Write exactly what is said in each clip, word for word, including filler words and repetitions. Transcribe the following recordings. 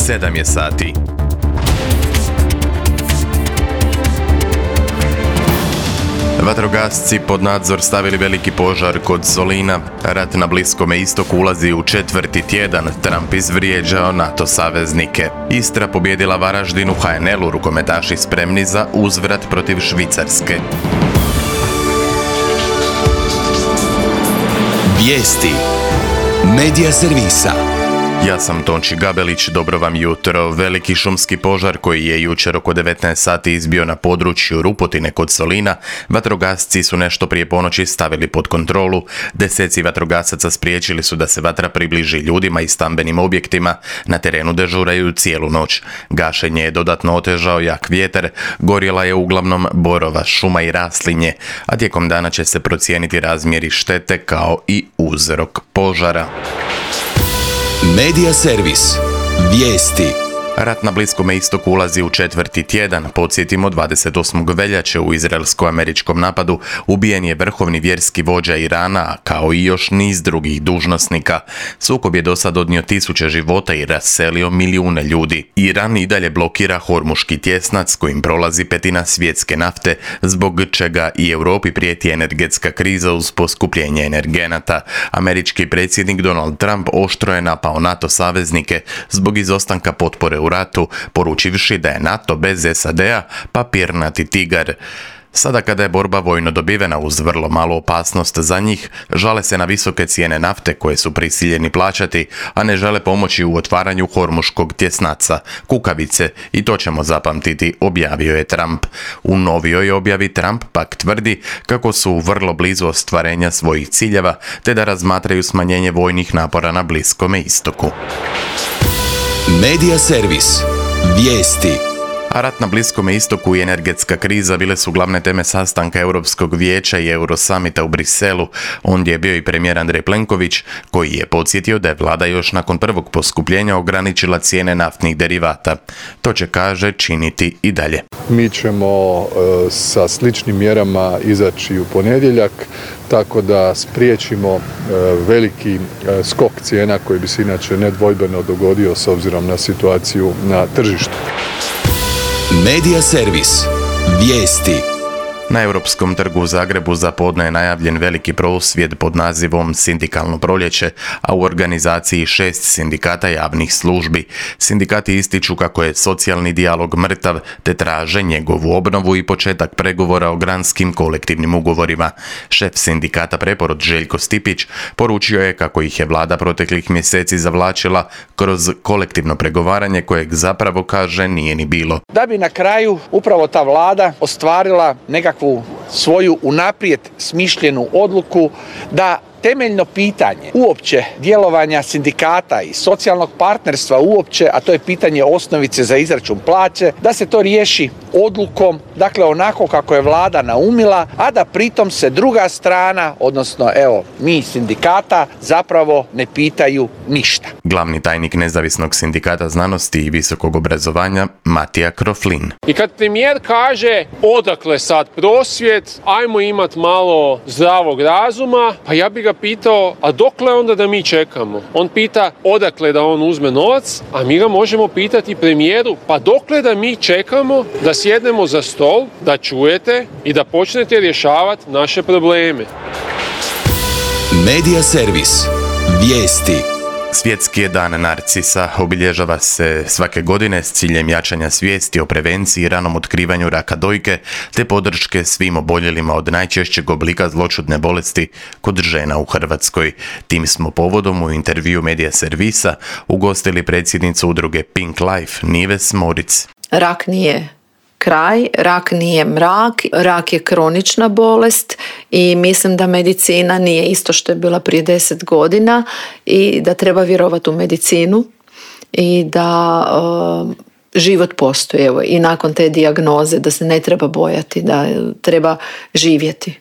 sedam je sati. Vatrogasci pod nadzor stavili veliki požar kod Solina. Rat na Bliskome istoku ulazi u četvrti tjedan. Trump izvrijeđao NATO saveznike. Istra pobjedila Varaždin u ha en el-u, rukometaši spremni za uzvrat protiv Švicarske. Vijesti Medija servisa. Ja sam Tonči Gabelić, dobro vam jutro. Veliki šumski požar koji je jučer oko devetnaest sati izbio na području Rupotine kod Solina, vatrogasci su nešto prije ponoći stavili pod kontrolu. Deseci vatrogasaca spriječili su da se vatra približi ljudima i stambenim objektima. Na terenu dežuraju cijelu noć. Gašenje je dodatno otežao jak vjetar, gorjela je uglavnom borova šuma i raslinje, a tijekom dana će se procijeniti razmjeri štete kao i uzrok požara. Medija servis. Vijesti. Rat na Bliskome istoku ulazi u četvrti tjedan. Podsjetimo, dvadeset osmog veljače u izraelsko-američkom napadu ubijen je vrhovni vjerski vođa Irana, kao i još niz drugih dužnosnika. Sukob je do sad odnio tisuće života i raselio milijune ljudi. Iran i dalje blokira Hormuški tjesnac kojim prolazi petina svjetske nafte, zbog čega i Europi prijeti energetska kriza uz poskupljenje energenata. Američki predsjednik Donald Trump oštro je napao NATO saveznike zbog izostanka potpore u ratu, poručivši da je NATO bez es a de-a papirnati tigar. Sada kada je borba vojno dobivena uz vrlo malu opasnost za njih, žale se na visoke cijene nafte koje su prisiljeni plaćati, a ne žele pomoći u otvaranju Hormuškog tjesnaca, kukavice, i to ćemo zapamtiti, objavio je Trump. U novijoj objavi Trump pak tvrdi kako su vrlo blizu ostvarenja svojih ciljeva, te da razmatraju smanjenje vojnih napora na Bliskome istoku. Medija servis. Vijesti. A rat na Bliskome istoku i energetska kriza bile su glavne teme sastanka Europskog vijeća i Eurosamita u Briselu. Ondje je bio i premijer Andrej Plenković, koji je podsjetio da je vlada još nakon prvog poskupljenja ograničila cijene naftnih derivata. To će, kaže, činiti i dalje. Mi ćemo e, sa sličnim mjerama izaći u ponedjeljak, tako da spriječimo e, veliki e, skok cijena koji bi se inače nedvojbeno dogodio s obzirom na situaciju na tržištu. Medija servis. Vijesti. Na Europskom trgu u Zagrebu za podne je najavljen veliki prosvjed pod nazivom Sindikalno proljeće, a u organizaciji šest sindikata javnih službi. Sindikati ističu kako je socijalni dijalog mrtav, te traže njegovu obnovu i početak pregovora o granskim kolektivnim ugovorima. Šef sindikata Preporod Željko Stipić poručio je kako ih je vlada proteklih mjeseci zavlačila kroz kolektivno pregovaranje kojeg zapravo, kaže, nije ni bilo. Da bi na kraju upravo ta vlada ostvarila nekakvu svoju unaprijed smišljenu odluku da temeljno pitanje uopće djelovanja sindikata i socijalnog partnerstva uopće, a to je pitanje osnovice za izračun plaće, da se to riješi odlukom, dakle onako kako je vlada naumila, a da pritom se druga strana, odnosno evo mi sindikata, zapravo ne pitaju ništa. Glavni tajnik Nezavisnog sindikata znanosti i visokog obrazovanja Matija Kroflin. I kad premijer kaže odakle sad prosvjed, ajmo imat malo zdravog razuma, pa ja bi ga pitao, a dokle onda da mi čekamo? On pita odakle da on uzme novac, a mi ga možemo pitati premijeru, pa dokle da mi čekamo da sjednemo za stol, da čujete i da počnete rješavati naše probleme. Medija servis. Vijesti. Svjetski je dan narcisa, obilježava se svake godine s ciljem jačanja svijesti o prevenciji i ranom otkrivanju raka dojke, te podrške svim oboljelima od najčešćeg oblika zloćudne bolesti kod žena u Hrvatskoj. Tim smo povodom u intervju Medija servisa ugostili predsjednicu udruge Pink Life Nives Moric. Rak nije kraj, rak nije mrak, rak je kronična bolest i mislim da medicina nije isto što je bila prije deset godina i da treba vjerovati u medicinu i da uh, život postoji, evo, i nakon te dijagnoze, da se ne treba bojati, da treba živjeti.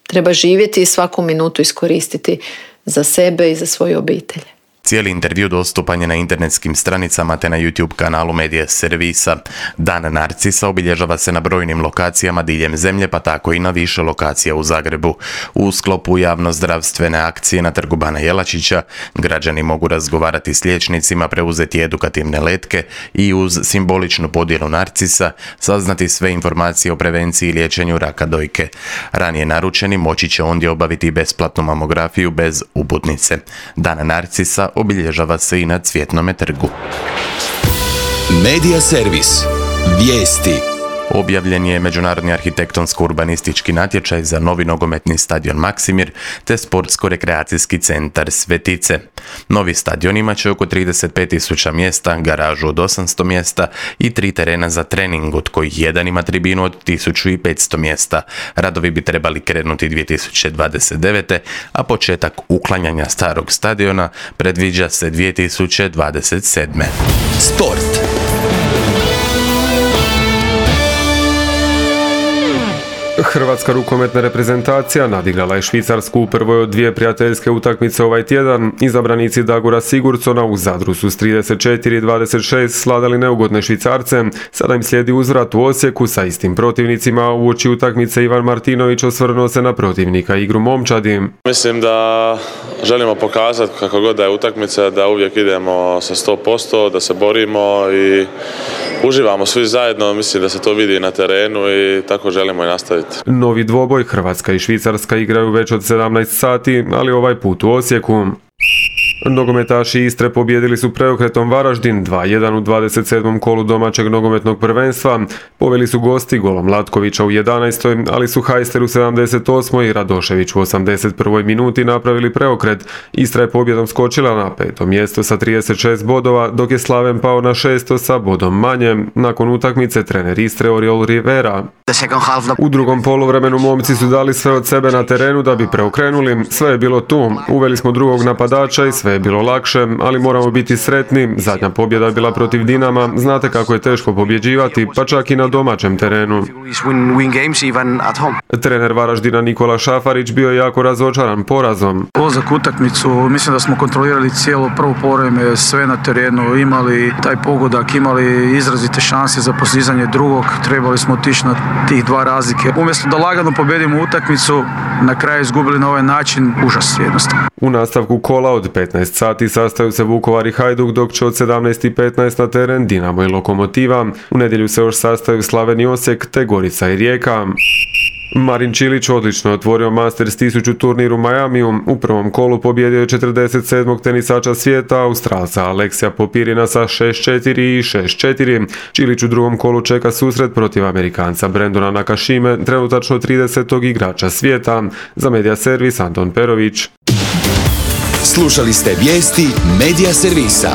Treba živjeti i svaku minutu iskoristiti za sebe i za svoju obitelj. Cijeli intervju dostupan je na internetskim stranicama te na YouTube kanalu Medija servisa. Dan Narcisa obilježava se na brojnim lokacijama diljem zemlje, pa tako i na više lokacija u Zagrebu. U sklopu javnozdravstvene akcije na Trgu Bana Jelačića građani mogu razgovarati s liječnicima, preuzeti edukativne letke i uz simboličnu podjelu narcisa saznati sve informacije o prevenciji i liječenju raka dojke. Ranije naručeni moći će ondje obaviti besplatnu mamografiju bez uputnice. Dan Narcisa obilježava se i na Cvjetnome trgu. Medija servis. Vijesti. Objavljen je međunarodni arhitektonsko-urbanistički natječaj za novi nogometni stadion Maksimir te sportsko-rekreacijski centar Svetice. Novi stadion imat će oko trideset pet tisuća mjesta, garažu od osamsto mjesta i tri terena za trening, od kojih jedan ima tribinu od tisuću petsto mjesta. Radovi bi trebali krenuti dvije tisuće dvadeset devete. a početak uklanjanja starog stadiona predviđa se dvije tisuće dvadeset sedme. Sport. Hrvatska rukometna reprezentacija nadigrala je Švicarsku u prvoj od dvije prijateljske utakmice ovaj tjedan. Izabranici Dagora Sigurdsona u Zadru su s trideset četiri dvadeset šest sladali neugodne Švicarce. Sada im slijedi uzvrat u Osijeku sa istim protivnicima. Uoči utakmice Ivan Martinović osvrnuo se na protivnika i igru momčadi. Mislim da želimo pokazati kako god da je utakmica, da uvijek idemo sa sto posto, da se borimo i uživamo svi zajedno. Mislim da se to vidi na terenu i tako želimo i nastaviti. Novi dvoboj Hrvatska i Švicarska igraju već od sedamnaest sati, ali ovaj put u Osijeku. Nogometaši Istre pobijedili su preokretom Varaždin dva jedan u dvadeset sedmom kolu domaćeg nogometnog prvenstva. Poveli su gosti golom Latkovića u jedanaestoj, ali su Hajster u sedamdeset osmoj i Radošević u osamdeset prvoj minuti napravili preokret. Istra je pobjedom skočila na peto mjesto sa trideset šest bodova, dok je Slaven pao na šesto sa bodom manje. Nakon utakmice trener Istre Oriol Rivera. U drugom poluvremenu momci su dali sve od sebe na terenu da bi preokrenuli. Sve je bilo tu. Uveli smo drugog napadača i sve je bilo lakše, ali moramo biti sretni. Zadnja pobjeda je bila protiv Dinama. Znate kako je teško pobjeđivati, pa čak i na domaćem terenu. Trener Varaždina Nikola Šafarić bio je jako razočaran porazom. Ulazak u utakmicu, mislim da smo kontrolirali cijelo prvo poluvreme, sve na terenu, imali taj pogodak, imali izrazite šanse za postizanje drugog, trebali smo otići na tih dva razlike. Umjesto da lagano pobjedimo utakmicu, na kraju izgubili na ovaj način, užas jednostavno. U nastavku kola od petnaest sati sastaju se Vukovar i Hajduk, dok će od sedamnaest i petnaest na teren Dinamo i Lokomotiva. U nedjelju se još sastaju Slaven i Osijek te Gorica i Rijeka. Marin Čilić odlično otvorio Masters tisuću turnir u Majamiju. U prvom kolu pobjedio je četrdeset sedmog tenisača svijeta, Australca Aleksija Popirina sa šest četiri i šest četiri. Čilić u drugom kolu čeka susret protiv Amerikanca Brendona Nakashime, trenutačno tridesetog igrača svijeta. Za Medija servis Anton Perović. Slušali ste vijesti Medija servisa.